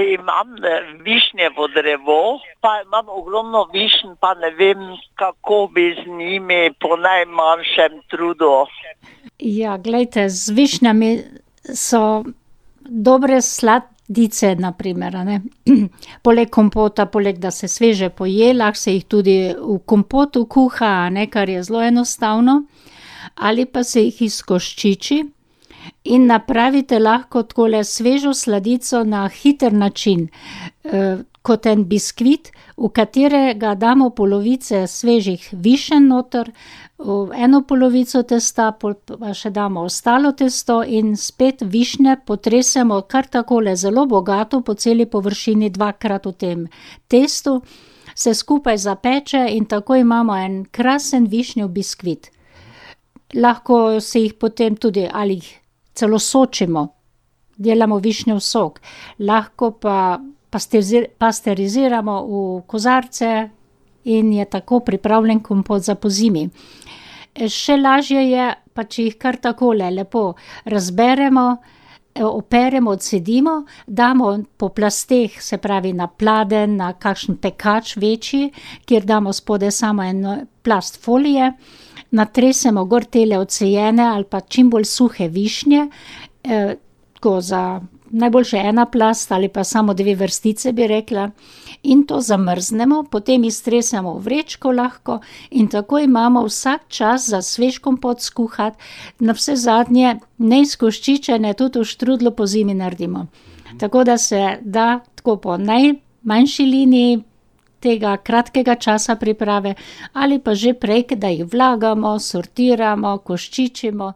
Imam višnjevo drevo, pa imam ogromno višen, pa ne vem, kako bi z njimi po najmanjšem trudu. Ja, glejte, z višnjami so dobre sladice, na primer, a ne. Poleg kompota, poleg da se sveže poje, lahko se jih tudi v kompotu kuha, a ne, kar je zelo enostavno. Ali pa se jih izkoščiči in napravite lahko takole svežo sladico na hiter način, kot en biskvit, v katerega damo polovice svežih višen noter, v eno polovico testa, pol pa še damo ostalo testo in spet višnje potresemo kar takole zelo bogato po celi površini dvakrat v tem testu, se skupaj zapeče in tako imamo en krasen višnjev biskvit. Lahko se jih potem tudi ali jih celo sočimo, delamo višnjev sok, lahko pa pasteriziramo v kozarce in je tako pripravljen kompot za pozimi. Še lažje je, pa če jih kar takole lepo razberemo, operemo, odcedimo, damo po plasteh, se pravi na pladenj, na kakšen pekač večji, kjer damo spodaj samo en plast folije, natresemo gor tele odsejene ali pa čim bolj suhe višnje, tako za najboljše ena plast ali pa samo 2 vrstice, bi rekla, in to zamrznemo, potem iztresemo v vrečko lahko in tako imamo vsak čas za svež kompot skuhati, navsezadnje neizkoščičene tudi v štrudlu pozimi naredimo. Tako da se da tako po najmanjši liniji tega kratkega časa priprave ali pa že prej, da jih vlagamo, sortiramo, koščičimo.